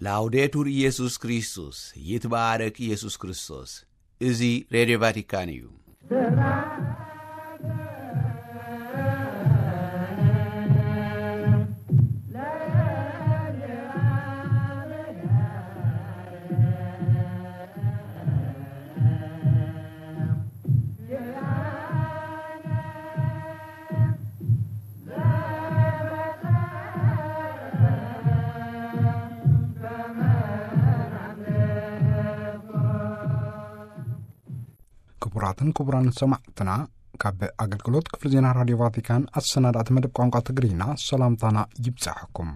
ላውዴቱር ኢየሱስ ክርስቶስ፣ ይትባረክ ኢየሱስ ክርስቶስ። እዚ ሬድዮ ቫቲካን እዩ። ክቡራትን ክቡራን ሰማዕትና፣ ካብ ኣገልግሎት ክፍሊ ዜና ራድዮ ቫቲካን ኣሰናዳእቲ መደብ ቋንቋ ትግርኛ ሰላምታና ይብጻሕኩም።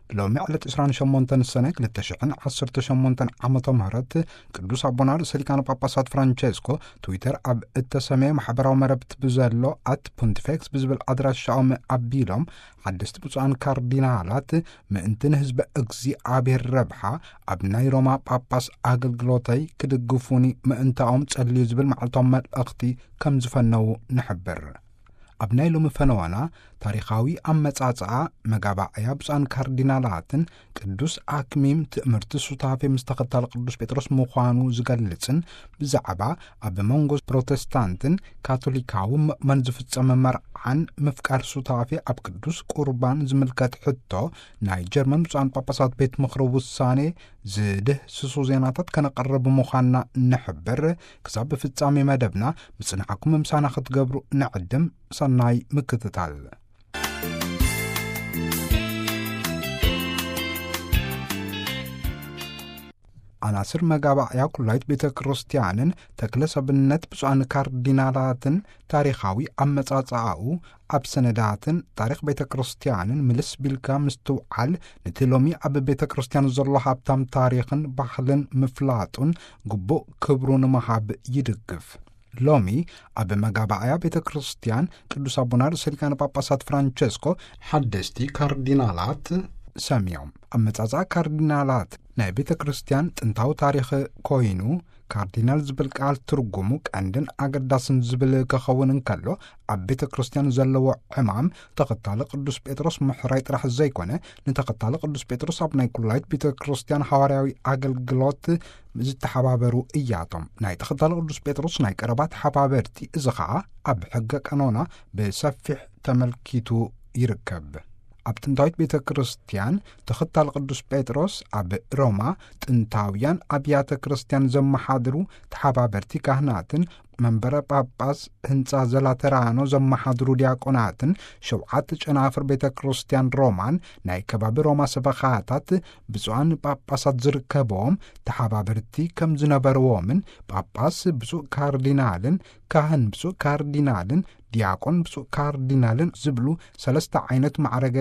ሎሚ ዕለት ዕስራን ሸሞንተን ሰነ ክልተ ሽሕን ዓሰርተ ሸሞንተን ዓመተ ምህረት ቅዱስ ኣቦና ርእሰ ሊቃነ ጳጳሳት ፍራንቸስኮ ትዊተር ኣብ እተሰመየ ማሕበራዊ መረብቲ ብዘሎ ኣት ፖንቲፌክስ ብዝብል ኣድራሻኦም ኣቢሎም ሓደስቲ ብፁዓን ካርዲናላት ምእንቲ ንህዝበ እግዚኣብሔር ረብሓ ኣብ ናይ ሮማ ጳጳስ ኣገልግሎተይ ክድግፉኒ ምእንታኦም ጸልዩ ዝብል መዓልታዊ መልእኽቲ ከም ዝፈነዉ ንሕብር። ኣብ ናይ ሎሚ ፈነዋና ታሪኻዊ ኣመጻጽኣ መጋባእያ ብፁዓን ካርዲናላትን ቅዱስ ኣክሚም ትእምርቲ ሱታፌ ምስ ተኸታሊ ቅዱስ ጴጥሮስ ምዃኑ ዝገልጽን ብዛዕባ ኣብ መንጎ ፕሮቴስታንትን ካቶሊካዊ ምእመን ዝፍጸም መርዓን ምፍቃር ሱታፌ ኣብ ቅዱስ ቁርባን ዝምልከት ሕቶ ናይ ጀርመን ብፁዓን ጳጳሳት ቤት ምኽሪ ውሳኔ ዝድህስሱ ዜናታት ከነቕርብ ምዃንና ንሕብር። ክሳብ ፍጻሜ መደብና ምጽንዓኩም ምሳና ክትገብሩ ንዕድም። ሰናይ ምክትታል። ኣናስር መጋባእያ ኩላይት ቤተ ክርስቲያንን ተክለ ሰብነት ብፁዓን ካርዲናላትን ታሪኻዊ ኣመጻጽኣኡ ኣብ ሰነዳትን ታሪኽ ቤተ ክርስቲያንን ምልስ ቢልካ ምስትውዓል፣ ነቲ ሎሚ ኣብ ቤተ ክርስቲያን ዘሎ ሃብታም ታሪኽን ባህልን ምፍላጡን ግቡእ ክብሩ ንምሃብ ይድግፍ። ሎሚ ኣብ መጋባእያ ቤተ ክርስቲያን ቅዱስ ኣቦና ርእሰ ሊቃነ ጳጳሳት ፍራንቸስኮ ሓደስቲ ካርዲናላት ሰምዮም። ኣመጻጽኣ ካርዲናላት ናይ ቤተ ክርስቲያን ጥንታዊ ታሪኽ ኮይኑ፣ ካርዲናል ዝብል ቃል ትርጉሙ ቀንድን ኣገዳስን ዝብል ክኸውን እንከሎ፣ ኣብ ቤተ ክርስቲያን ዘለዎ ዕማም ተኸታሊ ቅዱስ ጴጥሮስ ምሕራይ ጥራሕ ዘይኮነ፣ ንተኸታሊ ቅዱስ ጴጥሮስ ኣብ ናይ ኩላይት ቤተ ክርስቲያን ሃዋርያዊ ኣገልግሎት ዝተሓባበሩ እያቶም። ናይ ተኸታሊ ቅዱስ ጴጥሮስ ናይ ቀረባ ተሓባበርቲ፣ እዚ ኸዓ ኣብ ሕገ ቀኖና ብሰፊሕ ተመልኪቱ ይርከብ። ኣብ ጥንታዊት ቤተ ክርስቲያን ተኸታሊ ቅዱስ ጴጥሮስ ኣብ ሮማ ጥንታውያን ኣብያተ ክርስቲያን ዘመሓድሩ ተሓባበርቲ ካህናትን መንበረ ጳጳስ ህንጻ ዘላተራኖ ዘመሓድሩ ዲያቆናትን ሸውዓተ ጨናፍር ቤተ ክርስቲያን ሮማን ናይ ከባቢ ሮማ ሰበኻታት ብፁዓን ጳጳሳት ዝርከብዎም ተሓባበርቲ ከም ዝነበርዎምን ጳጳስ ብፁዕ ካርዲናልን ካህን ብፁዕ ካርዲናልን ዲያቆን ብፁዕ ካርዲናልን ዝብሉ ሰለስተ ዓይነት ማዕረገ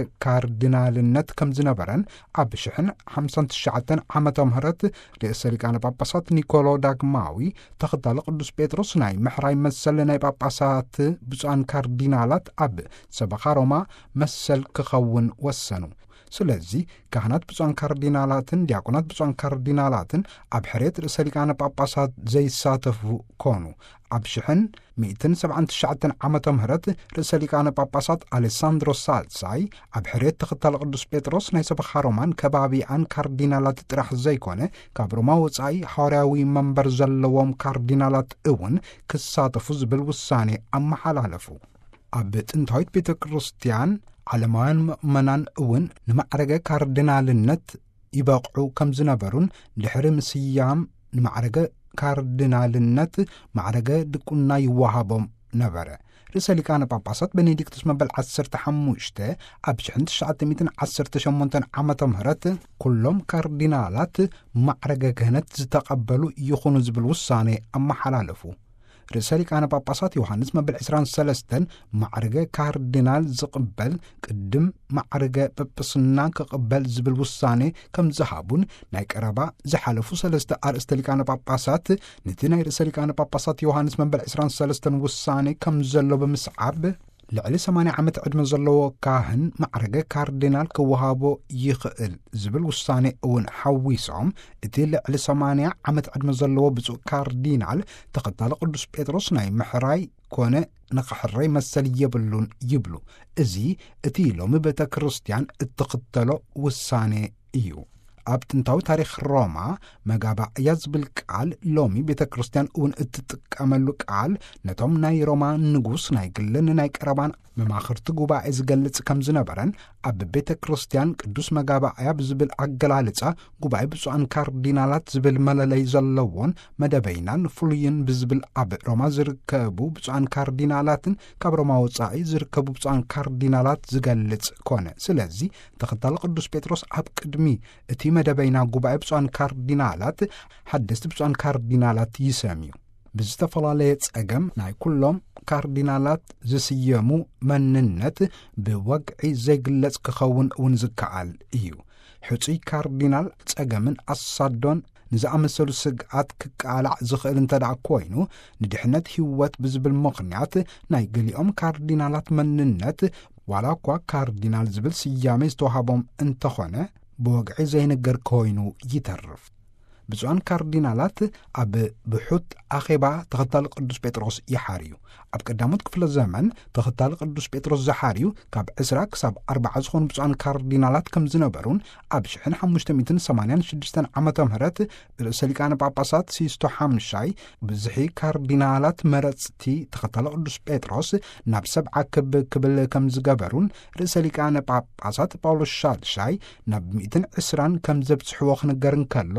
ካርዲናልነት ከም ዝነበረን ኣብ ሽሕን ሓምሳን ትሽዓተን ዓመተ ምህረት ርእሰ ሊቃነ ጳጳሳት ኒኮሎ ዳግማዊ ተኸታሊ ቅዱስ ጴጥሮስ ናይ ምሕራይ መሰል ናይ ጳጳሳት ብፁዓን ካርዲናላት ኣብ ሰበኻ ሮማ መሰል ክኸውን ወሰኑ። ስለዚ ካህናት ብፁዓን ካርዲናላትን ዲያቆናት ብፁዓን ካርዲናላትን ኣብ ሕርየት ርእሰ ሊቃነ ጳጳሳት ዘይሳተፉ ኮኑ። ኣብ ሽሕን ሚእትን ሰብዓን ትሽዓተን ዓመተ ምህረት ርእሰ ሊቃነ ጳጳሳት ኣሌሳንድሮ ሳልሳይ ኣብ ሕርየት ተኸታሊ ቅዱስ ጴጥሮስ ናይ ሰበኻ ሮማን ከባቢኣን ካርዲናላት ጥራሕ ዘይኮነ፣ ካብ ሮማ ወጻኢ ሓዋርያዊ መንበር ዘለዎም ካርዲናላት እውን ክሳተፉ ዝብል ውሳኔ ኣመሓላለፉ። ኣብ ጥንታዊት ቤተ ክርስቲያን ዓለማውያን ምእመናን እውን ንማዕረገ ካርዲናልነት ይበቕዑ ከም ዝነበሩን ድሕሪ ምስያም ንማዕረገ ካርዲናልነት ማዕረገ ድቁና ይወሃቦም ነበረ። ርእሰ ሊቃነ ጳጳሳት ቤኔዲክቱስ መበል ዓሰርተ ሓሙሽተ ኣብ ሽሕን ትሽዓተ ሚእትን ዓሰርተ ሸሞንተን ዓመተ ምህረት ኩሎም ካርዲናላት ማዕረገ ክህነት ዝተቐበሉ ይኹኑ ዝብል ውሳኔ ኣመሓላለፉ። ርእሰ ሊቃነ ጳጳሳት ዮሃንስ መበል ዕስራን ሰለስተን ማዕረገ ካርዲናል ዝቕበል ቅድም ማዕረገ ጳጳስና ክቕበል ዝብል ውሳኔ ከም ዝሃቡን ናይ ቀረባ ዝሓለፉ ሰለስተ ኣርእስተ ሊቃነ ጳጳሳት ነቲ ናይ ርእሰ ሊቃነ ጳጳሳት ዮሃንስ መበል ዕስራን ሰለስተን ውሳኔ ከም ዘሎ ብምስዓብ፣ ልዕሊ ሰማንያ ዓመት ዕድመ ዘለዎ ካህን ማዕረገ ካርዲናል ክወሃቦ ይኽእል ዝብል ውሳኔ እውን ሓዊሶም፣ እቲ ልዕሊ ሰማንያ ዓመት ዕድመ ዘለዎ ብፁዕ ካርዲናል ተኸታሊ ቅዱስ ጴጥሮስ ናይ ምሕራይ ኮነ ንኽሕረይ መሰል የብሉን ይብሉ። እዚ እቲ ሎሚ ቤተ ክርስቲያን እትኽተሎ ውሳኔ እዩ። ኣብ ጥንታዊ ታሪኽ ሮማ መጋባእያ ዝብል ቃል ሎሚ ቤተ ክርስቲያን እውን እትጥቀመሉ ቃል ነቶም ናይ ሮማ ንጉስ ናይ ግልን ናይ ቀረባን መማኽርቲ ጉባኤ ዝገልጽ ከም ዝነበረን፣ ኣብ ቤተ ክርስቲያን ቅዱስ መጋባእያ ብዝብል ኣገላልጻ ጉባኤ ብፁዓን ካርዲናላት ዝብል መለለይ ዘለዎን መደበይናን ፍሉይን ብዝብል ኣብ ሮማ ዝርከቡ ብፁዓን ካርዲናላትን ካብ ሮማ ወጻኢ ዝርከቡ ብፁዓን ካርዲናላት ዝገልጽ ኮነ። ስለዚ ተኸታሊ ቅዱስ ጴጥሮስ ኣብ ቅድሚ እቲ መደበይና ጉባኤ ብፁዓን ካርዲናላት ሓደስቲ ብፁዓን ካርዲናላት ይሰምዩ። ብዝተፈላለየ ጸገም ናይ ኩሎም ካርዲናላት ዝስየሙ መንነት ብወግዒ ዘይግለጽ ክኸውን እውን ዝከኣል እዩ። ሕጹይ ካርዲናል ጸገምን ኣሳዶን ንዝኣመሰሉ ስግኣት ክቃላዕ ዝኽእል እንተ ደኣ ኮይኑ፣ ንድሕነት ህይወት ብዝብል ምኽንያት ናይ ገሊኦም ካርዲናላት መንነት፣ ዋላ እኳ ካርዲናል ዝብል ስያሜ ዝተዋህቦም እንተኾነ፣ ብወግዒ ዘይንገር ኮይኑ ይተርፍ። ብፁዓን ካርዲናላት ኣብ ብሑት ኣኼባ ተኸታሊ ቅዱስ ጴጥሮስ ይሓርዩ። ኣብ ቀዳሞት ክፍለ ዘመን ተኸታሊ ቅዱስ ጴጥሮስ ዝሓርዩ ካብ ዕስራ ክሳብ ኣርባዓ ዝኾኑ ብፁዓን ካርዲናላት ከም ዝነበሩን፣ ኣብ ሽሕን ሓሙሽተ ሚእትን ሰማንያን ሽዱሽተን ዓመተ ምህረት ርእሰ ሊቃነ ጳጳሳት ሲስቶ ሓምሻይ ብዝሒ ካርዲናላት መረጽቲ ተኸታሊ ቅዱስ ጴጥሮስ ናብ ሰብዓ ክብ ክብል ከም ዝገበሩን፣ ርእሰ ሊቃነ ጳጳሳት ጳውሎስ ሻድሻይ ናብ ሚእትን ዕስራን ከም ዘብጽሕዎ ክንገር እንከሎ፣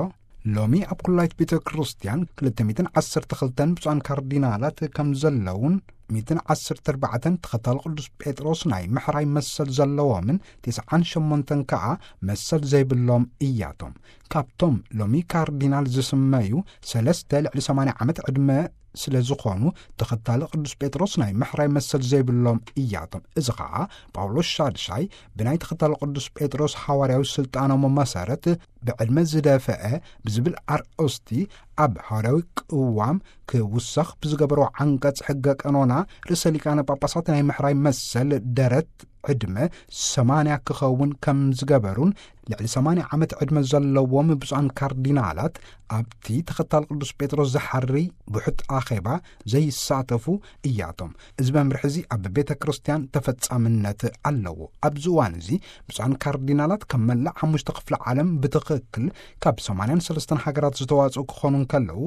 ሎሚ ኣብ ኩላይት ቤተ ክርስቲያን ክልተ ሚእትን ዓሰርተ ክልተን ብፁዓን ካርዲናላት ከም ዘለውን፣ ሚእትን ዓሰርተ ኣርባዕተን ተኸታሊ ቅዱስ ጴጥሮስ ናይ ምሕራይ መሰል ዘለዎምን፣ ተስዓን ሸሞንተን ከኣ መሰል ዘይብሎም እያቶም። ካብቶም ሎሚ ካርዲናል ዝስመዩ፣ ሰለስተ ልዕሊ ሰማንያ ዓመት ዕድመ ስለ ዝኾኑ፣ ተኸታሊ ቅዱስ ጴጥሮስ ናይ ምሕራይ መሰል ዘይብሎም እያቶም። እዚ ኸኣ ጳውሎስ ሻድሻይ ብናይ ተኸታሊ ቅዱስ ጴጥሮስ ሓዋርያዊ ስልጣኖም መሰረት ብዕድመ ዝደፈአ ብዝብል ኣርእስቲ ኣብ ሓዋርያዊ ቅዋም ክውሰኽ ብዝገበሮ ዓንቀጽ ሕገ ቀኖና ርእሰ ሊቃነ ጳጳሳት ናይ ምሕራይ መሰል ደረት ዕድመ ሰማንያ ክኸውን ከም ዝገበሩን፣ ልዕሊ ሰማንያ ዓመት ዕድመ ዘለዎም ብፁዓን ካርዲናላት ኣብቲ ተኸታል ቅዱስ ጴጥሮስ ዝሓሪ ብሑት ኣኼባ ዘይሳተፉ እያቶም። እዚ መምርሒ እዚ ኣብ ቤተ ክርስቲያን ተፈጻምነት ኣለዎ። ኣብዚ እዋን እዚ ብፁዓን ካርዲናላት ካብ መላእ ሓሙሽተ ክፍለ ዓለም ብትኽክል ካብ ሰማንያን ሰለስተን ሃገራት ዝተዋጽኡ ክኾኑ እንከለዉ፣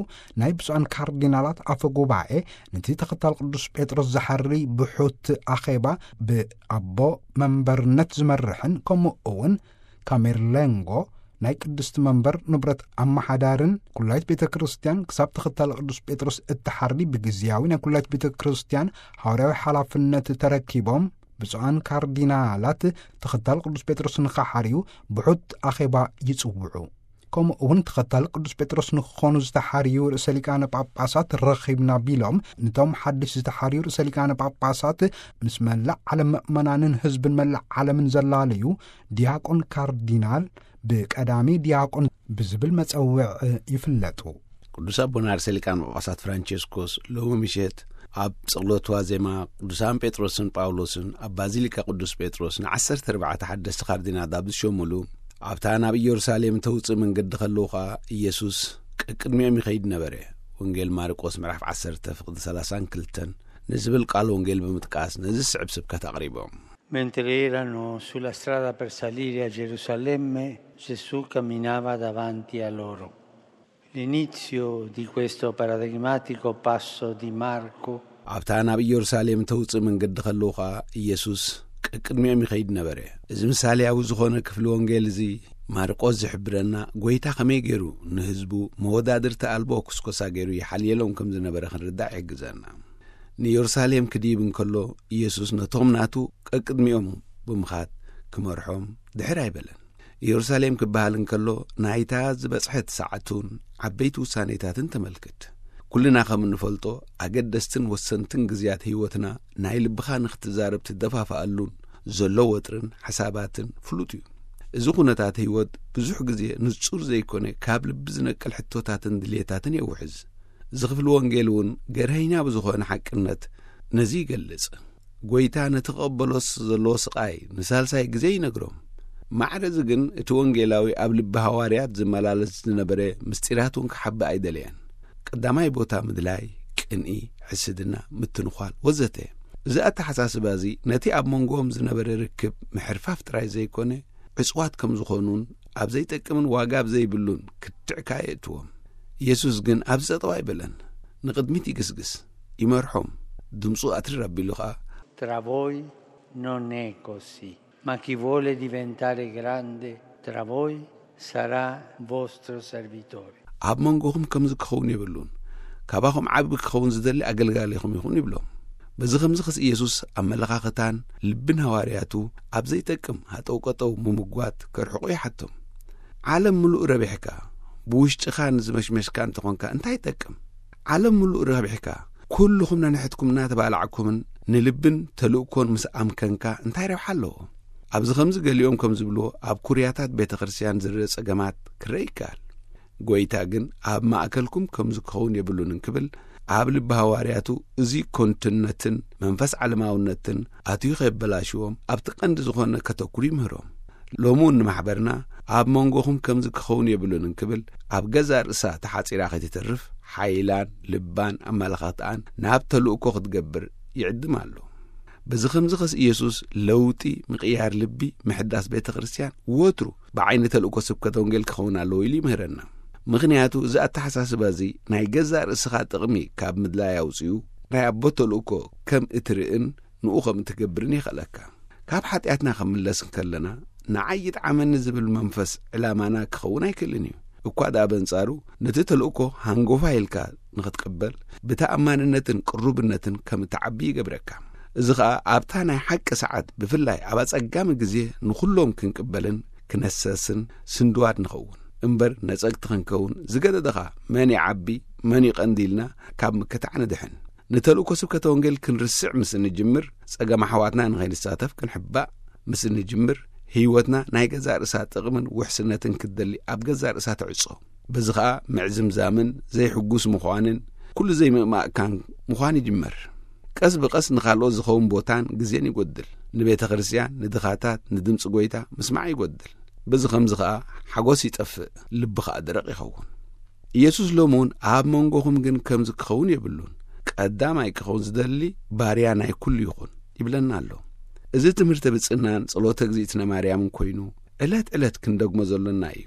ናይ ብፁዓን ካርዲናላት ኣፈ ጉባኤ ነቲ ተኸታል ቅዱስ ጴጥሮስ ዝሓሪ ብሑት ኣኼባ ብኣቦ መንበርነት ዝመርሕን፣ ከምኡ እውን ካሜርሌንጎ ናይ ቅድስቲ መንበር ንብረት ኣመሓዳርን፣ ኩላይት ቤተ ክርስቲያን ክሳብ ተኸታሊ ቅዱስ ጴጥሮስ እትሓሪ ብግዝያዊ ናይ ኩላይት ቤተ ክርስቲያን ሓዋርያዊ ሓላፍነት ተረኪቦም፣ ብፁዓን ካርዲናላት ተኸታሊ ቅዱስ ጴጥሮስ ንኸሓርዩ ብሑት ኣኼባ ይጽውዑ። ከምኡ እውን ተኸታሊ ቅዱስ ጴጥሮስ ንክኾኑ ዝተሓርዩ ርእሰ ሊቃነ ጳጳሳት ረኺብና ቢሎም፣ ነቶም ሓድሽ ዝተሓርዩ ርእሰ ሊቃነ ጳጳሳት ምስ መላእ ዓለም ምእመናንን ህዝብን መላእ ዓለምን ዘላለዩ ዲያቆን ካርዲናል ብቀዳሚ ዲያቆን ብዝብል መጸውዕ ይፍለጡ። ቅዱስ ኣቦና ርእሰ ሊቃነ ጳጳሳት ፍራንቸስኮስ ሎሚ ምሸት ኣብ ጸሎት ዋዜማ ቅዱሳን ጴጥሮስን ጳውሎስን ኣብ ባዚሊካ ቅዱስ ጴጥሮስ ንዓሰርተ ኣርባዕተ ሓደስቲ ካርዲናላት ኣብ ዝሾሙሉ፣ ኣብታ ናብ ኢየሩሳሌም ተውጽእ መንገዲ ከለዉ ኸኣ ኢየሱስ ቀቅድሚኦም ይኸይድ ነበረ። ወንጌል ማርቆስ ምዕራፍ ዓሰርተ ፍቕዲ ሰላሳን ክልተን ንዝብል ቃል ወንጌል ብምጥቃስ ነዚ ዝስዕብ ስብከት ኣቕሪቦም። Mentre erano sulla strada per salire a Gerusalemme, Gesù camminava davanti a loro. L'inizio di questo paradigmatico passo di Marco ኣብታ ናብ ኢየሩሳሌም ተውጽእ መንገዲ ከለዉ ኸኣ ኢየሱስ ቀቅድሚኦም ይኸይድ ነበረ። እዚ ምሳሌያዊ ዝኾነ ክፍሊ ወንጌል እዚ ማርቆስ ዝሕብረና፣ ጐይታ ኸመይ ገይሩ ንህዝቡ መወዳድርቲ ኣልቦ ኩስኮሳ ገይሩ ይሓልየሎም ከም ዝነበረ ክንርዳእ ይሕግዘና። ንኢየሩሳሌም ክድይብ እንከሎ፣ ኢየሱስ ነቶም ናቱ ቀቅድሚኦም ብምኻድ ክመርሖም ድሕር ኣይበለን። ኢየሩሳሌም ክበሃል እንከሎ፣ ናይታ ዝበጽሐት ሰዓቱን ዓበይቲ ውሳኔታትን ተመልክት። ኩልና ከም እንፈልጦ፣ ኣገደስትን ወሰንትን ግዜያት ህይወትና ናይ ልብኻ ንኽትዛረብ ትደፋፍኣሉን ዘሎ ወጥርን ሓሳባትን ፍሉጥ እዩ። እዚ ኩነታት ህይወት ብዙሕ ግዜ ንጹር ዘይኮነ፣ ካብ ልቢ ዝነቅል ሕቶታትን ድልየታትን የውሕዝ። እዚ ክፍሊ ወንጌል እውን ገርሀኛ ብዝኾነ ሓቅነት ነዚ ይገልጽ። ጐይታ ነቲ ክቕበሎስ ዘለዎ ስቓይ ንሳልሳይ ግዜ ይነግሮም። ማዕረ እዚ ግን እቲ ወንጌላዊ ኣብ ልቢ ሃዋርያት ዝመላለስ ዝነበረ ምስጢራት እውን ክሓብእ ኣይደለየን። ቀዳማይ ቦታ ምድላይ፣ ቅንኢ፣ ሕስድና፣ ምትንዃል ወዘተ። እዚ ኣተሓሳስባ እዚ ነቲ ኣብ መንጎኦም ዝነበረ ርክብ ምሕርፋፍ ጥራይ ዘይኮነ፣ ዕጹዋት ከም ዝኾኑን ኣብ ዘይጠቅምን ዋጋ ኣብ ዘይብሉን ክትዕ ከኣ የእትዎም። ኢየሱስ ግን ኣብዚ ጠጠው ኣይበለን። ንቕድሚት ይግስግስ፣ ይመርሖም። ድምፁ ኣትሪር ኣቢሉ ኸኣ፣ Tra voi non è così, ma chi vuole diventare grande tra voi sarà vostro servitore. ኣብ መንጎኹም ከምዚ ክኸውን የብሉን። ካባኹም ዓቢ ክኸውን ዝደሊ ኣገልጋሊኹም ይኹን ይብሎም። በዚ ከምዚ ኸስ ኢየሱስ ኣመለኻኽታን ልብን ሃዋርያቱ ኣብ ዘይጠቅም ሃጠው ቀጠው ምምጓት ከርሕቑ ይሓቶም። ዓለም ምሉእ ረቢሕካ፣ ብውሽጥኻ ንዝመሽመሽካ እንተኾንካ እንታይ ይጠቅም? ዓለም ምሉእ ረቢሕካ፣ ኩልኹም ነንሕትኩም እናተባላዕኩምን ንልብን ተልእኮን ምስ ኣምከንካ እንታይ ረብሓ ኣለዎ? ኣብዚ ከምዚ ገሊኦም ከም ዝብልዎ ኣብ ኩርያታት ቤተ ክርስቲያን ዝርእ ጸገማት ክረአ ይከኣል። ጎይታ ግን ኣብ ማእከልኩም ከምዚ ክኸውን የብሉን እንክብል ኣብ ልቢ ሃዋርያቱ እዚ ኮንትነትን መንፈስ ዓለማውነትን ኣትዩ ከየበላሽዎም ኣብቲ ቀንዲ ዝኾነ ከተኩሩ ይምህሮም። ሎሚ እውን ንማሕበርና ኣብ መንጎኹም ከምዚ ክኸውን የብሉን እንክብል ኣብ ገዛእ ርእሳ ተሓጺራ ከይትተርፍ ሓይላን ልባን ኣመለኻኽትኣን ናብ ተልእኮ ክትገብር ይዕድም ኣሎ። በዚ ከምዚ ኸስ ኢየሱስ ለውጢ ምቕያር ልቢ ምሕዳስ ቤተ ክርስቲያን ወትሩ ብዓይኒ ተልእኮ ስብከተ ወንጌል ክኸውን ኣለዎ ኢሉ ይምህረና። ምኽንያቱ እዚ ኣተሓሳስባ እዚ ናይ ገዛእ ርእስኻ ጥቕሚ ካብ ምድላይ ኣውፅኡ ናይ ኣቦ ተልእኮ ከም እትርእን ንኡ ከም እትገብርን የኽእለካ። ካብ ሓጢኣትና ከምለስ እንከለና ንዓይ ይጥዓመኒ ዝብል መንፈስ ዕላማና ክኸውን ኣይክእልን እዩ። እኳ ደኣ በንጻሩ ነቲ ተልእኮ ሃንጎፋ ኢልካ ንኽትቅበል ብተኣማንነትን ቅሩብነትን ከም እትዓቢ ይገብረካ። እዚ ኸኣ ኣብታ ናይ ሓቂ ሰዓት ብፍላይ ኣብ ኣጸጋሚ ግዜ ንኹሎም ክንቅበልን ክነሰስን ስንድዋድ ንኸውን እምበር ነጸግቲ ክንከውን ዝገደደኻ መን ይዓቢ መን ይቐንዲ ኢልና ካብ ምክታዕ ንድሕን። ንተልእኮ ስብከተ ወንጌል ክንርስዕ ምስ እንጅምር ጸገም ኣሕዋትና ንኸይንሳተፍ ክንሕባእ ምስ እንጅምር ህይወትና ናይ ገዛእ ርእሳ ጥቕምን ውሕስነትን ክትደሊ ኣብ ገዛእ ርእሳ ትዕጾ። በዚ ኸኣ ምዕዝምዛምን ዘይሕጉስ ምዃንን ኩሉ ዘይምእማእካን ምዃን ይጅመር። ቀስ ብቐስ ንኻልኦት ዝኸውን ቦታን ግዜን ይጎድል። ንቤተ ክርስቲያን፣ ንድኻታት፣ ንድምፂ ጎይታ ምስማዕ ይጎድል። በዚ ከምዚ ኸኣ ሓጎስ ይጠፍእ፣ ልቢ ኸኣ ደረቕ ይኸውን። ኢየሱስ ሎሚ እውን ኣብ መንጎኹም ግን ከምዚ ክኸውን የብሉን፣ ቀዳማይ ክኸውን ዝደሊ ባርያ ናይ ኩሉ ይኹን ይብለና ኣሎ። እዚ ትምህርተ ብፅናን ጸሎተ እግዚኣብእትነ ማርያምን ኮይኑ ዕለት ዕለት ክንደግሞ ዘሎና እዩ።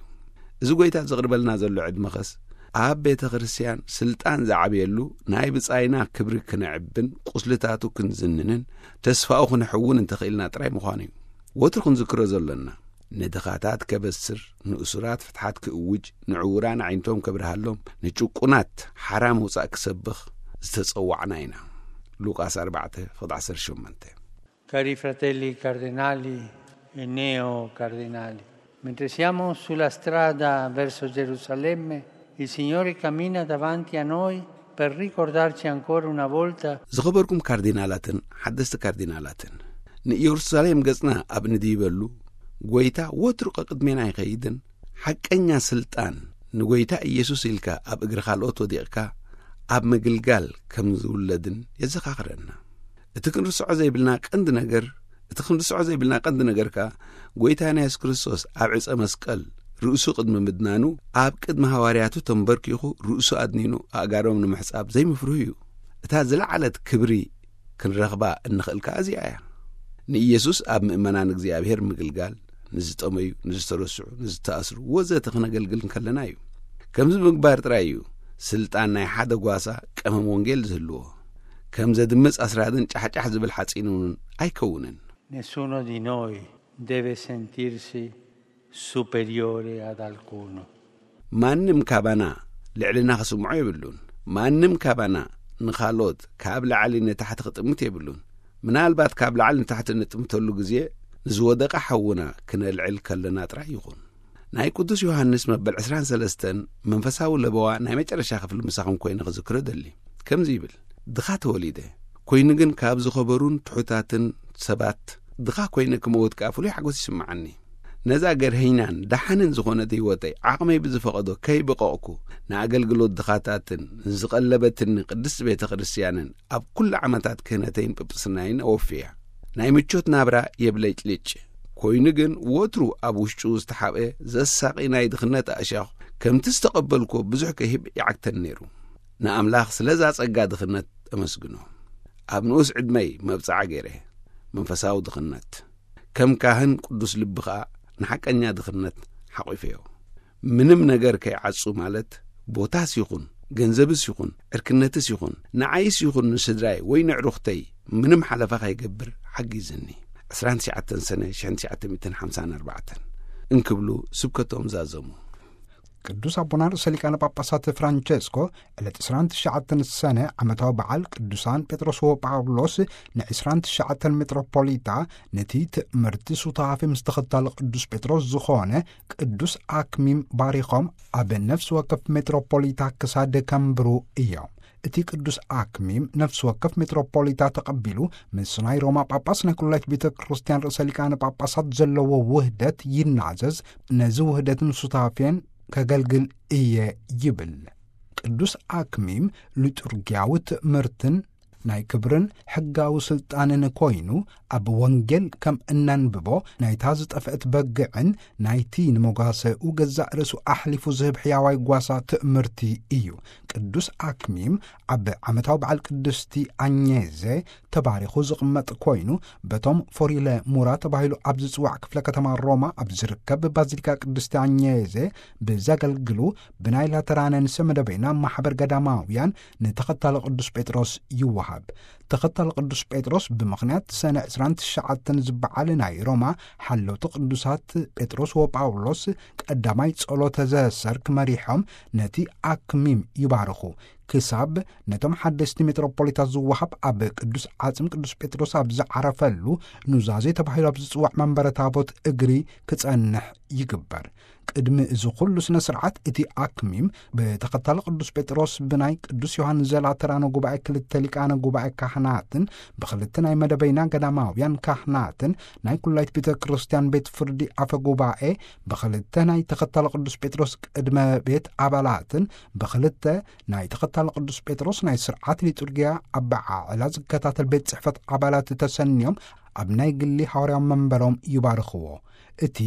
እዚ ጎይታ ዘቕርበልና ዘሎ ዕድመኸስ ኣብ ቤተ ክርስቲያን ስልጣን ዝዓብየሉ ናይ ብጻይና ክብሪ ክነዕብን ቁስልታቱ ክንዝንንን ተስፋኡ ክንሕውን እንተኽኢልና ጥራይ ምዃኑ እዩ። ወትሩ ክንዝክሮ ዘሎና ንድኻታት ከበስር፣ ንእሱራት ፍትሓት ክእውጅ፣ ንዕውራን ኣዒንቶም ከብርሃሎም፣ ንጭቁናት ሓራ ምውጻእ ክሰብኽ ዝተጸዋዕና ኢና። ሉቃስ ኣርባዕተ ፍቕዲ ዓሰርተ ሸሞንተ። Cari fratelli cardenali e neo cardenali, mentre siamo sulla strada verso Gerusalemme, il Signore cammina davanti a noi per ricordarci ancora una volta ዝኸበርኩም ካርዲናላትን ሓደስቲ ካርዲናላትን ንኢየሩሳሌም ገጽና ኣብ ንድይበሉ ጎይታ ወትሩ ቀቅድሜና ይኸይድን ሓቀኛ ስልጣን ንጎይታ ኢየሱስ ኢልካ ኣብ እግሪ ካልኦት ወዲቕካ ኣብ ምግልጋል ከም ዝውለድን የዘኻኽረና። እቲ ክንርስዖ ዘይብልና ቀንዲ ነገር እቲ ክንርስዖ ዘይብልና ቀንዲ ነገር ከኣ ጎይታና የሱስ ክርስቶስ ኣብ ዕፀ መስቀል ርእሱ ቅድሚ ምድናኑ ኣብ ቅድሚ ሃዋርያቱ ተንበርኪኹ ርእሱ ኣድኒኑ ኣእጋሮም ንምሕጻብ ዘይምፍርሁ እዩ። እታ ዝለዓለት ክብሪ ክንረኽባ እንኽእል ከኣ እዚኣ እያ። ንኢየሱስ ኣብ ምእመናን እግዚኣብሔር ምግልጋል ንዝጠመዩ፣ ንዝተረስዑ፣ ንዝተኣስሩ ወዘተ ክነገልግል እንከለና እዩ። ከምዚ ምግባር ጥራይ እዩ ስልጣን ናይ ሓደ ጓሳ ቀመም ወንጌል ዝህልዎ። ከም ዘድምጽ ኣስራድን ጫሕጫሕ ዝብል ሓጺን እውን ኣይከውንን። Nessuno di noi deve sentirsi superiore ad alcuno. ማንም ካባና ልዕልና ክስምዖ የብሉን። ማንም ካባና ንኻልኦት ካብ ላዕሊ ንታሕቲ ክጥምት የብሉን። ምናልባት ካብ ላዕሊ ንታሕቲ እንጥምተሉ ግዜ ንዝወደቐ ሓውና ክነልዕል ከለና ጥራይ ይኹን። ናይ ቅዱስ ዮሃንስ መበል ዕስራን ሰለስተን መንፈሳዊ ለበዋ ናይ መጨረሻ ክፍሊ ምሳኹም ኮይነ ክዝክሮ ደሊ። ከምዚ ይብል፣ ድኻ ተወሊደ ኮይኑ ግን ካብ ዝኸበሩን ትሑታትን ሰባት ድኻ ኮይነ ክመውት ከኣ ፍሉይ ሓጎስ ይስምዓኒ። ነዛ ገርሀይናን ደሓንን ዝኾነት ህይወተይ ዓቕመይ ብዝፈቐዶ ከይበቐቕኩ ንኣገልግሎት ድኻታትን ንዝቐለበትኒ ቅድስቲ ቤተ ክርስቲያንን ኣብ ኩሉ ዓመታት ክህነተይን ጵጵስናይን ኣወፍያ። ናይ ምቾት ናብራ የብለጭልጭ ኮይኑ ግን ወትሩ ኣብ ውሽጡ ዝተሓብአ ዘሳቒ ናይ ድኽነት ኣእሻኹ ከምቲ ዝተቐበልኩዎ ብዙሕ ክህብ ይዓግተኒ ነይሩ። ንኣምላኽ ስለዛ ጸጋ ድኽነት እመስግኖ። ኣብ ንኡስ ዕድመይ መብጽዓ ገይረ መንፈሳዊ ድኽነት ከም ካህን ቅዱስ ልቢ ኸኣ ንሓቀኛ ድኽነት ሓቒፈዮ። ምንም ነገር ከይዓጹ ማለት ቦታስ ይኹን ገንዘብስ ይኹን ዕርክነትስ ይኹን ንዓይስ ይኹን ንስድራይ ወይ ንዕሩኽተይ ምንም ሓለፋ ከይገብር ሓጊዝኒ። ዕስራን ትሽዓተን ሰነ ሽሕን ትሽዓተ ሚእትን ሓምሳን ኣርባዕተን እንክብሉ ስብከቶም ዛዘሙ። ቅዱስ ኣቦና ርእሰ ሊቃነ ጳጳሳት ፍራንቸስኮ ዕለት ዕስራን ትሽዓተን ሰነ ዓመታዊ በዓል ቅዱሳን ጴጥሮስ ወጳውሎስ ንዕስራን ትሽዓተን ሜትሮፖሊታ ነቲ ትእምርቲ ሱታፌ ምስ ተኸታሊ ቅዱስ ጴጥሮስ ዝኾነ ቅዱስ ኣክሚም ባሪኾም ኣብ ነፍሲ ወከፍ ሜትሮፖሊታ ክሳድ ከንብሩ እዮም። እቲ ቅዱስ ኣክሚም ነፍሲ ወከፍ ሜትሮፖሊታ ተቐቢሉ ምስ ናይ ሮማ ጳጳስ ናይ ኩላይት ቤተ ክርስቲያን ርእሰ ሊቃነ ጳጳሳት ዘለዎ ውህደት ይናዘዝ፣ ነዚ ውህደትን ሱታፌን ከገልግል እየ ይብል። ቅዱስ ኣክሚም ሊጡርጊያዊ ትእምርትን ናይ ክብርን ሕጋዊ ስልጣንን ኮይኑ ኣብ ወንጌል ከም እነንብቦ ናይታ ዝጠፍአት በግዕን ናይቲ ንመጓሰኡ ገዛእ ርእሱ ኣሕሊፉ ዝህብ ሕያዋይ ጓሳ ትእምርቲ እዩ። ቅዱስ ኣክሚም ኣብ ዓመታዊ በዓል ቅድስቲ ኣኘዜ ተባሪኹ ዝቕመጥ ኮይኑ በቶም ፎሪለ ሙራ ተባሂሉ ኣብ ዝጽዋዕ ክፍለ ከተማ ሮማ ኣብ ዝርከብ ባዚሊካ ቅድስቲ ኣኘዜ ብዘገልግሉ ብናይ ላተራነ ንሰ መደበይና ማሕበር ገዳማውያን ንተኸታሊ ቅዱስ ጴጥሮስ ይወሃብ። ተኸታሊ ቅዱስ ጴጥሮስ ብምኽንያት ሰነ ዕስራን ትሽዓተን ዝበዓል ናይ ሮማ ሓለውቲ ቅዱሳት ጴጥሮስ ወጳውሎስ ቀዳማይ ጸሎተ ዘሰርክ መሪሖም ነቲ ኣክሚም ይባርኹ። ክሳብ ነቶም ሓደስቲ ሜትሮፖሊታት ዝወሃብ ኣብ ቅዱስ ዓጽም ቅዱስ ጴጥሮስ ኣብ ዝዓረፈሉ ኑዛዜ ተባሂሉ ኣብ ዝጽዋዕ መንበረ ታቦት እግሪ ክጸንሕ ይግበር። ቅድሚ እዚ ኩሉ ስነ ስርዓት እቲ ኣክሚም ብተኸታሊ ቅዱስ ጴጥሮስ ብናይ ቅዱስ ዮሃንስ ዘላተራኖ ጉባኤ ክልተ ሊቃነ ጉባኤ ካህናትን ብክልተ ናይ መደበይና ገዳማውያን ካህናትን ናይ ኩላይት ቤተ ክርስቲያን ቤት ፍርዲ ኣፈ ጉባኤ ብክልተ ናይ ተኸታሊ ቅዱስ ጴጥሮስ ቅድመ ቤት ኣባላትን ብክልተ ናይ ተኸታሊ ቅዱስ ጴጥሮስ ናይ ስርዓት ሊጡርጊያ ኣበዓዕላ ዝከታተል ቤት ጽሕፈት ኣባላት ተሰንዮም ኣብ ናይ ግሊ ሓዋርያዊ መንበሮም ይባርኽዎ። እቲ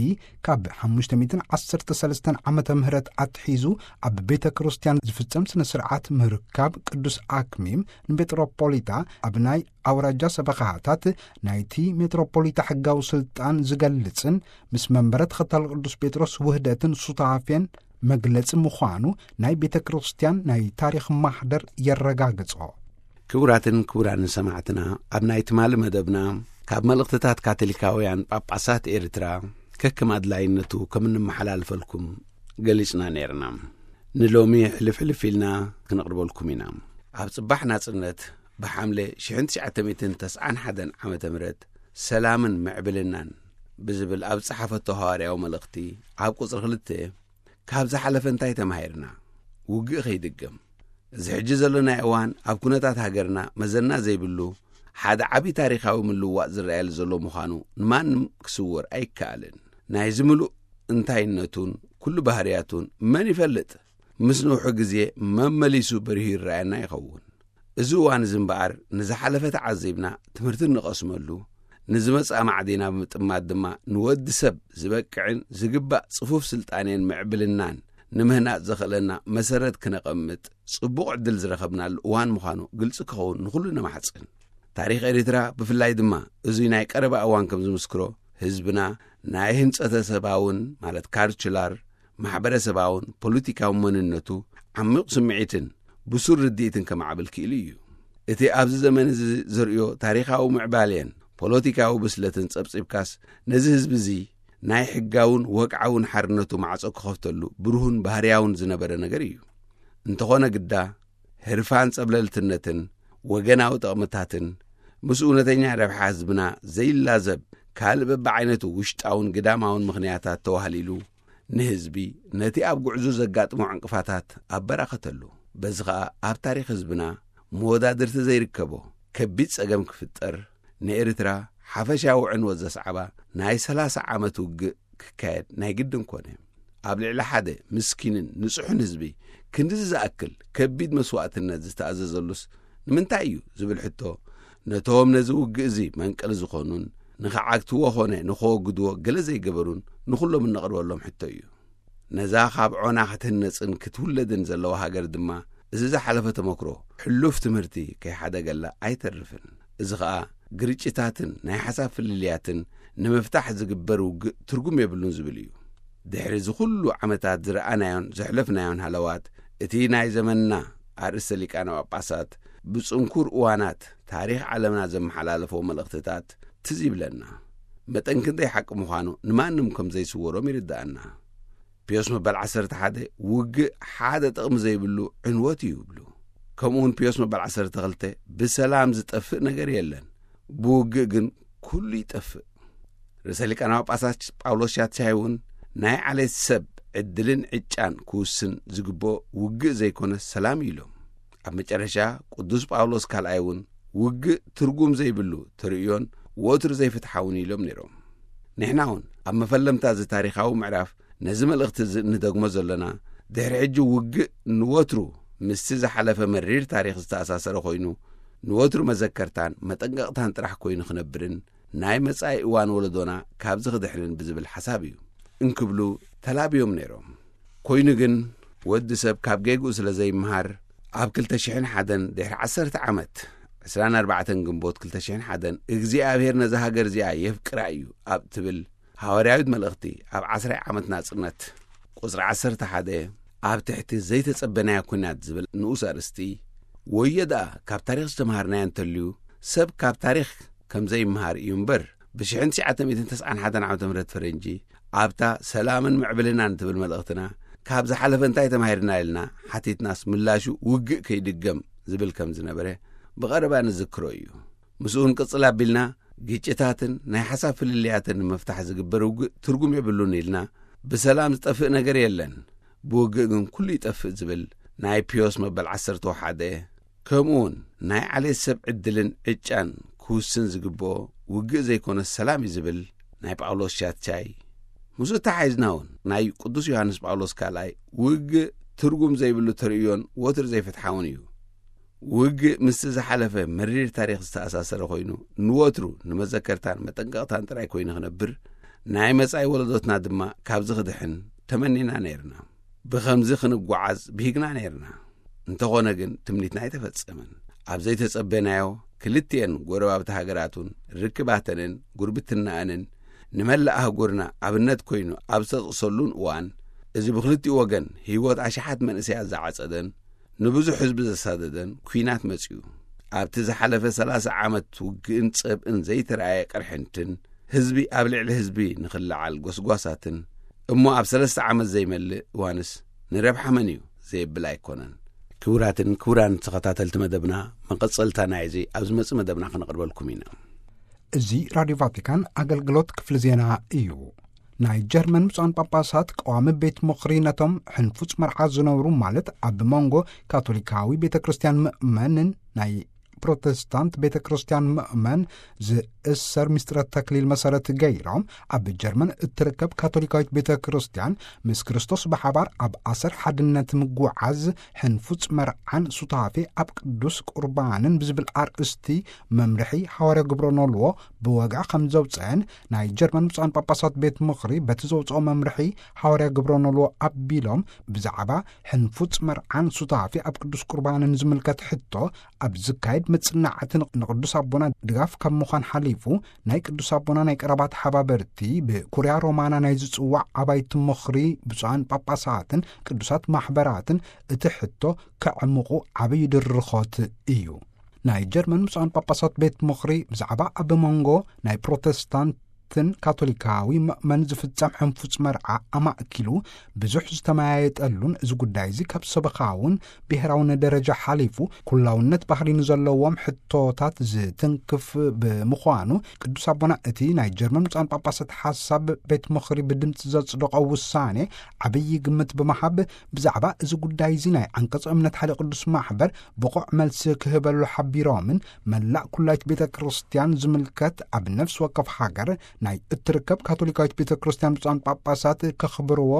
ካብ ሓሙሽተ ሚእትን ዓሰርተ ሰለስተን ዓመተ ምህረት ኣትሒዙ ኣብ ቤተ ክርስቲያን ዝፍጸም ስነ ስርዓት ምርካብ ቅዱስ ኣክሚም ንሜትሮፖሊታ ኣብ ናይ ኣውራጃ ሰበኻታት ናይቲ ሜትሮፖሊታ ሕጋዊ ስልጣን ዝገልጽን ምስ መንበረ ተኸታሊ ቅዱስ ጴጥሮስ ውህደትን ሱታፌን መግለጺ ምዃኑ ናይ ቤተ ክርስቲያን ናይ ታሪኽ ማህደር የረጋግጾ። ክቡራትን ክቡራንን ሰማዕትና፣ ኣብ ናይ ትማሊ መደብና ካብ መልእኽትታት ካቶሊካውያን ጳጳሳት ኤርትራ ከከም ኣድላይነቱ ከም እንመሓላልፈልኩም ገሊጽና ነይርና። ንሎሚ ሕልፍ ሕልፍ ኢልና ክንቕርበልኩም ኢና። ኣብ ጽባሕ ናጽነት ብሓምለ ሽሕን ትሽዓተ ሚእትን ተስዓን ሓደን ዓመተ ምህረት ሰላምን ምዕብልናን ብዝብል ኣብ ዝጸሓፈቶ ሃዋርያዊ መልእኽቲ ኣብ ቁጽሪ ክልተ ካብ ዝሓለፈ እንታይ ተማሂርና? ውግእ ከይድገም። እዚ ሕጂ ዘለናዮ እዋን ኣብ ኩነታት ሃገርና መዘና ዘይብሉ ሓደ ዓቢ ታሪኻዊ ምልዋጥ ዝረኣየሉ ዘሎ ምዃኑ ንማንም ክስወር ኣይከኣልን። ናይዚ ምሉእ እንታይነቱን ኩሉ ባህርያቱን መን ይፈልጥ? ምስ ነውሑ ግዜ መመሊሱ በሪሁ ይረኣየና ይኸውን። እዚ እዋን እዚ እምበኣር ንዝሓለፈ ተዓዚብና ትምህርቲ እንቐስመሉ፣ ንዝመጽእ ኣማዕዲና ብምጥማት ድማ ንወዲ ሰብ ዝበቅዕን ዝግባእ ጽፉፍ ስልጣኔን ምዕብልናን ንምህናጽ ዘኽእለና መሰረት ክነቐምጥ ጽቡቕ ዕድል ዝረኸብናሉ እዋን ምዃኑ ግልጺ ክኸውን ንኹሉ ነማሕጽን። ታሪኽ ኤርትራ ብፍላይ ድማ እዙይ ናይ ቀረባ እዋን ከም ዝምስክሮ ህዝብና ናይ ህንጸተ ሰባውን ማለት ካልቹላር ማሕበረሰባውን ፖለቲካዊ መንነቱ ዓሚቕ ስምዒትን ብሱር ርድኢትን ከማዕብል ክኢሉ እዩ። እቲ ኣብዚ ዘመን እዚ ዘርእዮ ታሪኻዊ ምዕባሌን ፖለቲካዊ ብስለትን ጸብጺብካስ ነዚ ህዝቢ እዚ ናይ ሕጋውን ወግዓውን ሓርነቱ ማዕጾ ክኸፍተሉ ብሩህን ባህርያውን ዝነበረ ነገር እዩ። እንተኾነ ግዳ ህርፋን ጸብለልትነትን ወገናዊ ጥቕምታትን ምስ እውነተኛ ረብሓ ህዝብና ዘይላዘብ ካልእ በብዓይነቱ ውሽጣውን ግዳማውን ምኽንያታት ተዋህሊሉ ንህዝቢ ነቲ ኣብ ጉዕዞ ዘጋጥሞ ዕንቅፋታት ኣበራኸተሉ። በዚ ኸኣ ኣብ ታሪኽ ህዝብና መወዳድርቲ ዘይርከቦ ከቢድ ጸገም ክፍጠር ንኤርትራ ሓፈሻዊ ዕንወት ዘስዓባ ናይ ሰላሳ ዓመት ውግእ ክካየድ ናይ ግድን ኮነ። ኣብ ልዕሊ ሓደ ምስኪንን ንጹሕን ህዝቢ ክንድዚ ዝኣክል ከቢድ መስዋእትነት ዝተኣዘዘሉስ ንምንታይ እዩ ዝብል ሕቶ ነቶም ነዚ ውግእ እዚ መንቀሊ ዝኾኑን ንኽዓግትዎ ኾነ ንኸወግድዎ ገለ ዘይገበሩን ንኹሎም እነቕርበሎም ሕቶ እዩ። ነዛ ካብ ዖና ክትህነጽን ክትውለድን ዘለዋ ሃገር ድማ እዚ ዝሓለፈ ተመክሮ ሕሉፍ ትምህርቲ ከይሓደገላ ኣይተርፍን። እዚ ኸኣ ግርጭታትን ናይ ሓሳብ ፍልልያትን ንምፍታሕ ዝግበር ውግእ ትርጉም የብሉን ዝብል እዩ። ድሕሪ እዚ ኩሉ ዓመታት ዝረኣናዮን ዘሕለፍናዮን ሃለዋት፣ እቲ ናይ ዘመንና ኣርእስተ ሊቃነ ጳጳሳት ብጽንኩር እዋናት ታሪኽ ዓለምና ዘመሓላለፎ መልእኽትታት ትዝ ይብለና። መጠን ክንደይ ሓቂ ምዃኑ ንማንም ከም ዘይስወሮም ይርድኣና። ፒዮስ መበል ዓሰርተ ሓደ ውግእ ሓደ ጥቕሚ ዘይብሉ ዕንወት እዩ ይብሉ። ከምኡውን ፒዮስ መበል ዓሰርተ ክልተ ብሰላም ዝጠፍእ ነገር የለን፣ ብውግእ ግን ኩሉ ይጠፍእ። ርእሰ ሊቃነ ጳጳሳት ጳውሎስ ሻትሻይ እውን ናይ ዓሌት ሰብ ዕድልን ዕጫን ክውስን ዝግብኦ ውግእ ዘይኮነ ሰላም እዩ ኢሎም። ኣብ መጨረሻ ቅዱስ ጳውሎስ ካልኣይ እውን ውግእ ትርጉም ዘይብሉ ተርእዮን ወትሩ ዘይፍትሓውን ኢሎም ነይሮም። ንሕና እውን ኣብ መፈለምታ እዚ ታሪኻዊ ምዕራፍ ነዚ መልእኽቲ እዚ እንደግሞ ዘለና፣ ድሕሪ ሕጂ ውግእ ንወትሩ ምስቲ ዝሓለፈ መሪር ታሪኽ ዝተኣሳሰረ ኮይኑ፣ ንወትሩ መዘከርታን መጠንቀቕታን ጥራሕ ኮይኑ ክነብርን ናይ መጻኢ እዋን ወለዶና ካብዚ ክድሕንን ብዝብል ሓሳብ እዩ እንክብሉ ተላብዮም ነይሮም። ኮይኑ ግን ወዲ ሰብ ካብ ጌግኡ ስለ ዘይምሃር፣ ኣብ ክልተ ሽሕን ሓደን ድሕሪ ዓሰርተ ዓመት፣ ዕስራን ኣርባዕተን ግንቦት ክልተ ሽሕን ሓደን እግዚኣብሔር ነዛ ሃገር እዚኣ የፍቅራ እዩ ኣብ ትብል ሃዋርያዊት መልእኽቲ ኣብ ዓስራይ ዓመት ናጽነት ቁጽሪ ዓሰርተ ሓደ ኣብ ትሕቲ ዘይተጸበናዮ ኲናት ዝብል ንኡስ ኣርእስቲ፣ ወዮ ደኣ ካብ ታሪኽ ዝተምሃርናዮ እንተልዩ፣ ሰብ ካብ ታሪኽ ከም ዘይምሃር እዩ እምበር፣ ብሽሕን ትሽዓተ ሚእትን ተስዓን ሓደን ዓመተ ምህረት ፈረንጂ ኣብታ ሰላምን ምዕብልናን ትብል መልእኽትና ካብ ዝሓለፈ እንታይ ተማሂርና ኢልና ሓቲትናስ ምላሹ ውግእ ከይድገም ዝብል ከም ዝነበረ ብቐረባ ንዝክሮ እዩ። ምስኡ እውን ቅጽል ኣቢልና ግጭታትን ናይ ሓሳብ ፍልልያትን ንምፍታሕ ዝግበር ውግእ ትርጉም የብሉን ኢልና ብሰላም ዝጠፍእ ነገር የለን፣ ብውግእ ግን ኩሉ ይጠፍእ ዝብል ናይ ፒዮስ መበል ዓሰርተ ሓደ ከምኡውን ናይ ዓሌት ሰብ ዕድልን ዕጫን ክውስን ዝግብኦ ውግእ ዘይኮነ ሰላም እዩ ዝብል ናይ ጳውሎስ ሻትቻይ። ምስኡ ተሓሒዝና እውን ናይ ቅዱስ ዮሃንስ ጳውሎስ ካልኣይ ውግእ ትርጉም ዘይብሉ ተርእዮን ወትሩ ዘይፍትሓውን እዩ። ውግእ ምስቲ ዝሓለፈ መሪር ታሪኽ ዝተኣሳሰረ ኮይኑ ንወትሩ ንመዘከርታን መጠንቀቕታን ጥራይ ኮይኑ ክነብር፣ ናይ መጻኢ ወለዶትና ድማ ካብዚ ክድሕን ተመኒና ነይርና። ብኸምዚ ክንጓዓዝ ብሂግና ነይርና። እንተኾነ ግን ትምኒትና ኣይተፈጸመን። ኣብ ዘይተጸበናዮ ክልቲኤን ጎረባብቲ ሃገራቱን ርክባተንን ጉርብትናኣንን ንመላእ ኣህጉርና ኣብነት ኮይኑ ኣብ ዝተጠቕሰሉን እዋን፣ እዚ ብክልቲኡ ወገን ህይወት ኣሽሓት መንእሰያት ዝዓጸደን ንብዙሕ ህዝቢ ዘሳደደን ኲናት መጺኡ። ኣብቲ ዝሓለፈ ሰላሳ ዓመት ውግእን ጸብእን ዘይተረኣየ ቅርሕንትን ህዝቢ ኣብ ልዕሊ ህዝቢ ንኽለዓል ጎስጓሳትን እሞ ኣብ ሰለስተ ዓመት ዘይመልእ እዋንስ ንረብሓ መን እዩ ዘየብል ኣይኮነን። ክቡራትን ክቡራን ተኸታተልቲ መደብና፣ መቐጸልታ ናይዚ ኣብ ዝመጽእ መደብና ከነቕርበልኩም ኢና። እዚ ራድዮ ቫቲካን ኣገልግሎት ክፍሊ ዜና እዩ። ናይ ጀርመን ብፁዓን ጳጳሳት ቀዋሚ ቤት ምኽሪ ነቶም ሕንፉጽ መርዓ ዝነብሩ፣ ማለት ኣብ መንጎ ካቶሊካዊ ቤተ ክርስቲያን ምእመንን ናይ ፕሮቴስታንት ቤተ ክርስቲያን ምእመን ዝእሰር ምስጢረ ተክሊል መሰረት ገይሮም፣ ኣብ ጀርመን እትርከብ ካቶሊካዊት ቤተ ክርስቲያን ምስ ክርስቶስ ብሓባር ኣብ ኣሰር ሓድነት ምጉዓዝ፣ ሕንፉጽ መርዓን ሱታፌ ኣብ ቅዱስ ቁርባንን ብዝብል ኣርእስቲ መምርሒ ሃዋርያ ግብረ ኖልዎ ብወግዒ ከም ዘውፅአን ናይ ጀርመን ብፁዓን ጳጳሳት ቤት ምኽሪ በቲ ዘውፅኦ መምርሒ ሃዋርያ ግብረ ኖልዎ ኣቢሎም፣ ብዛዕባ ሕንፉጽ መርዓን ሱታፌ ኣብ ቅዱስ ቁርባንን ዝምልከት ሕቶ ኣብ ዝካየድ መጽናዕቲ ንቕዱስ ኣቦና ድጋፍ ካብ ምዃን ሓሊፉ፣ ናይ ቅዱስ ኣቦና ናይ ቀረባ ተሓባበርቲ ብኩርያ ሮማና ናይ ዝጽዋዕ ኣባይቲ ምኽሪ ብፁዓን ጳጳሳትን ቅዱሳት ማሕበራትን እቲ ሕቶ ከዕምቑ ዓብዪ ድርኾት እዩ። ናይ ጀርመን ብፁዓን ጳጳሳት ቤት ምኽሪ ብዛዕባ ኣብ መንጎ ናይ ፕሮቴስታንትን ካቶሊካዊ ምእመን ዝፍጸም ሕንፉጽ መርዓ ኣማእኪሉ ብዙሕ ዝተመያየጠሉን፣ እዚ ጉዳይ እዚ ካብ ሰበኻውን ብሔራውን ደረጃ ሓሊፉ ኩላውነት ባህሪ ንዘለዎም ሕቶታት ዝትንክፍ ብምዃኑ፣ ቅዱስ ኣቦና እቲ ናይ ጀርመን ብፁዓን ጳጳሳት ሓሳብ ቤት ምኽሪ ብድምፂ ዘጽደቖ ውሳኔ ዓብዪ ግምት ብምሃብ፣ ብዛዕባ እዚ ጉዳይ እዚ ናይ ዓንቀጸ እምነት ሓደ ቅዱስ ማሕበር ብቑዕ መልሲ ክህበሉ ሓቢሮምን፣ መላእ ኩላይት ቤተ ክርስቲያን ዝምልከት ኣብ ነፍሲ ወከፍ ሃገር ናይ እትርከብ ካቶሊካዊት ቤተ ክርስቲያን ብፁዓን ጳጳሳት ከኽብርዎ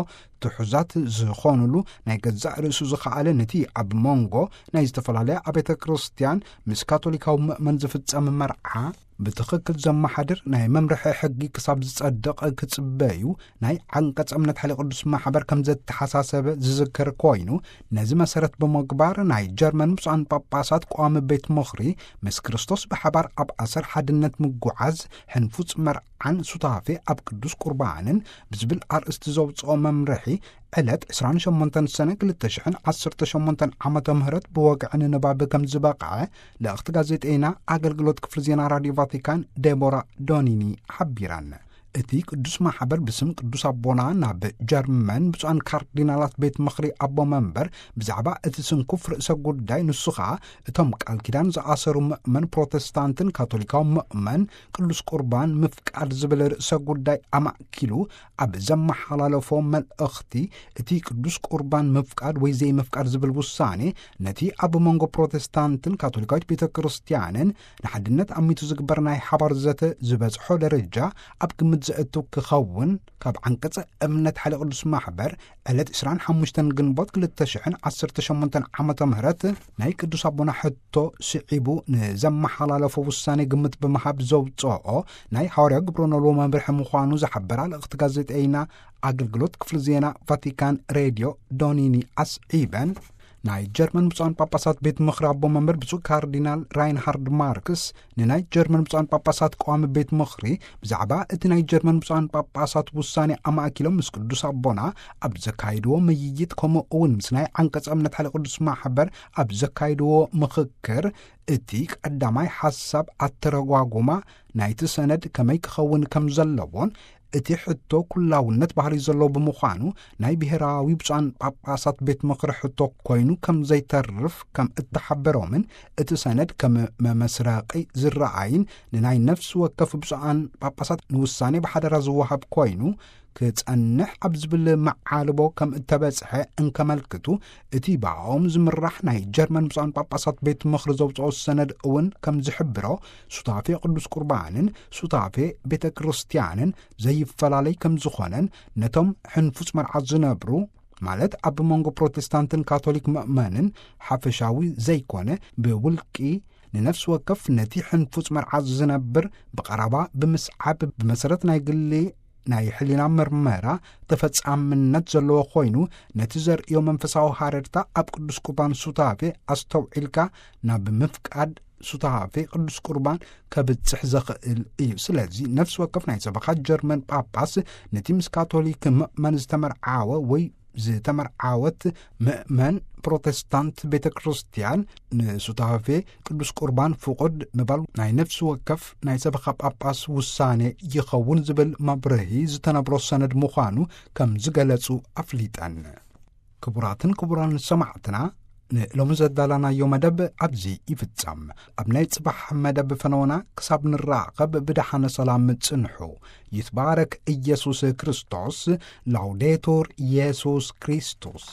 ትሑዛት ዝኾኑሉ፣ ናይ ገዛእ ርእሱ ዝኸኣለ፣ ነቲ ኣብ መንጎ ናይ ዝተፈላለያ ኣብያተ ክርስቲያን ምስ ካቶሊካዊ ምእመን ዝፍጸም መርዓ ብትኽክል ዘመሓድር ናይ መምርሒ ሕጊ ክሳብ ዝጸድቕ ክጽበዩ ናይ ዓንቀጸ እምነት ሓይለ ቅዱስ ማሕበር ከም ዘተሓሳሰበ ዝዝከር ኮይኑ፣ ነዚ መሰረት ብምግባር ናይ ጀርመን ብፁዓን ጳጳሳት ቋሚ ቤት ምኽሪ ምስ ክርስቶስ ብሓባር ኣብ ኣሰር ሓድነት ምጉዓዝ፣ ሕንፉጽ መርዓን ሱታፌ ኣብ ቅዱስ ቁርባንን ብዝብል ኣርእስቲ ዘውፅኦ መምርሒ፣ ዕለት ዕስራን ሸሞንተን ሰነ ክልተ ሽሕን ዓሰርተ ሸሞንተን ዓመተ ምህረት ብወግዒ ንንባብ ከም ዝበቕዐ፣ ልእኽቲ ጋዜጠይና ኣገልግሎት ክፍሊ ዜና ራድዮ ቫቲካን ዴቦራ ዶኒኒ ሓቢራን። እቲ ቅዱስ ማሕበር ብስም ቅዱስ ኣቦና ናብ ጀርመን ብፁዓን ካርዲናላት ቤት ምኽሪ ኣቦ መንበር ብዛዕባ እቲ ስንኩፍ ርእሰ ጉዳይ፣ ንሱ ኸኣ እቶም ቃል ኪዳን ዝኣሰሩ ምእመን ፕሮቴስታንትን ካቶሊካዊ ምእመን ቅዱስ ቁርባን ምፍቃድ ዝብል ርእሰ ጉዳይ ኣማእኪሉ ኣብ ዘመሓላለፎ መልእኽቲ፣ እቲ ቅዱስ ቁርባን ምፍቃድ ወይ ዘይምፍቃድ ዝብል ውሳኔ ነቲ ኣብ መንጎ ፕሮቴስታንትን ካቶሊካዊት ቤተ ክርስቲያንን ንሓድነት ኣሚቱ ዝግበር ናይ ሓባር ዘተ ዝበጽሖ ደረጃ ኣብ ግምት ዘእቱ ክኸውን፣ ካብ ዓንቀጸ እምነት ሓይለ ቅዱስ ማሕበር ዕለት ዕስራን ሓሙሽተን ግንቦት ክልተ ሽሕን ዓሰርተ ሸሞንተን ዓመተ ምህረት ናይ ቅዱስ ኣቦና ሕቶ ስዒቡ ንዘመሓላለፎ ውሳኔ ግምት ብምሃብ ዘውጽኦ ናይ ሓዋርያ ግብረ ኖልዎ መምርሒ ምዃኑ ዝሓበራ ልእኽቲ ጋዜጠይና ኣገልግሎት ክፍሊ ዜና ቫቲካን ሬድዮ ዶኒኒ ኣስዒበን፣ ናይ ጀርመን ብፁዓን ጳጳሳት ቤት ምኽሪ ኣቦ መንበር ብፁዕ ካርዲናል ራይንሃርድ ማርክስ ንናይ ጀርመን ብፁዓን ጳጳሳት ቀዋሚ ቤት ምኽሪ ብዛዕባ እቲ ናይ ጀርመን ብፁዓን ጳጳሳት ውሳኔ ኣማእኪሎም ምስ ቅዱስ ኣቦና ኣብ ዘካይድዎ ምይይጥ፣ ከምኡ እውን ምስ ናይ ዓንቀጸ እምነት ሓይለ ቅዱስ ማሕበር ኣብ ዘካይድዎ ምኽክር፣ እቲ ቀዳማይ ሓሳብ ኣተረጓጉማ ናይቲ ሰነድ ከመይ ክኸውን ከም ዘለዎን፣ እቲ ሕቶ ኩላውነት ባህሪ ዘለዎ ብምዃኑ፣ ናይ ብሔራዊ ብፁዓን ጳጳሳት ቤት ምኽሪ ሕቶ ኮይኑ ከም ዘይተርፍ ከም እተሓበሮምን፣ እቲ ሰነድ ከም መመስረቒ ዝረኣይን፣ ንናይ ነፍሲ ወከፍ ብፁዓን ጳጳሳት ንውሳኔ ብሓደራ ዝወሃብ ኮይኑ ክጸንሕ ኣብ ዝብል መዓልቦ ከም እተበጽሐ እንከመልክቱ፣ እቲ ብኣኦም ዝምራሕ ናይ ጀርመን ብፁዓን ጳጳሳት ቤት ምኽሪ ዘውጽኦ ሰነድ እውን ከም ዝሕብሮ፣ ሱታፌ ቅዱስ ቁርባንን ሱታፌ ቤተ ክርስቲያንን ዘይፈላለይ ከም ዝኾነን፣ ነቶም ሕንፉጽ መርዓ ዝነብሩ፣ ማለት ኣብ መንጎ ፕሮቴስታንትን ካቶሊክ ምእመንን ሓፈሻዊ ዘይኮነ፣ ብውልቂ ንነፍሲ ወከፍ ነቲ ሕንፉጽ መርዓ ዝነብር ብቐረባ ብምስዓብ፣ ብመሰረት ናይ ግሊ ናይ ሕሊና ምርመራ ተፈጻምነት ዘለዎ ኮይኑ፣ ነቲ ዘርእዮ መንፈሳዊ ሃረርታ ኣብ ቅዱስ ቁርባን ሱታፌ ኣስተውዒልካ ናብ ምፍቃድ ሱታፌ ቅዱስ ቁርባን ከብጽሕ ዘኽእል እዩ። ስለዚ ነፍሲ ወከፍ ናይ ሰበኻ ጀርመን ጳጳስ ነቲ ምስ ካቶሊክ ምእመን ዝተመርዓወ ወይ ዝተመርዓወት ምእመን ፕሮቴስታንት ቤተ ክርስቲያን ንሱታፌ ቅዱስ ቁርባን ፍቑድ ምባል ናይ ነፍሲ ወከፍ ናይ ሰበኻ ጳጳስ ውሳኔ ይኸውን ዝብል መብርሂ ዝተነብሮ ሰነድ ምዃኑ ከም ዝገለጹ ኣፍሊጠን። ክቡራትን ክቡራን ሰማዕትና፣ ንሎሚ ዘዳለናዮ መደብ ኣብዚ ይፍጸም። ኣብ ናይ ጽባሕ መደብ ፈነወና ክሳብ ንራኸብ ብደሓነ ሰላም ጽንሑ። ይትባረክ ኢየሱስ ክርስቶስ። ላውዴቱር ኢየሱስ ክርስቶስ።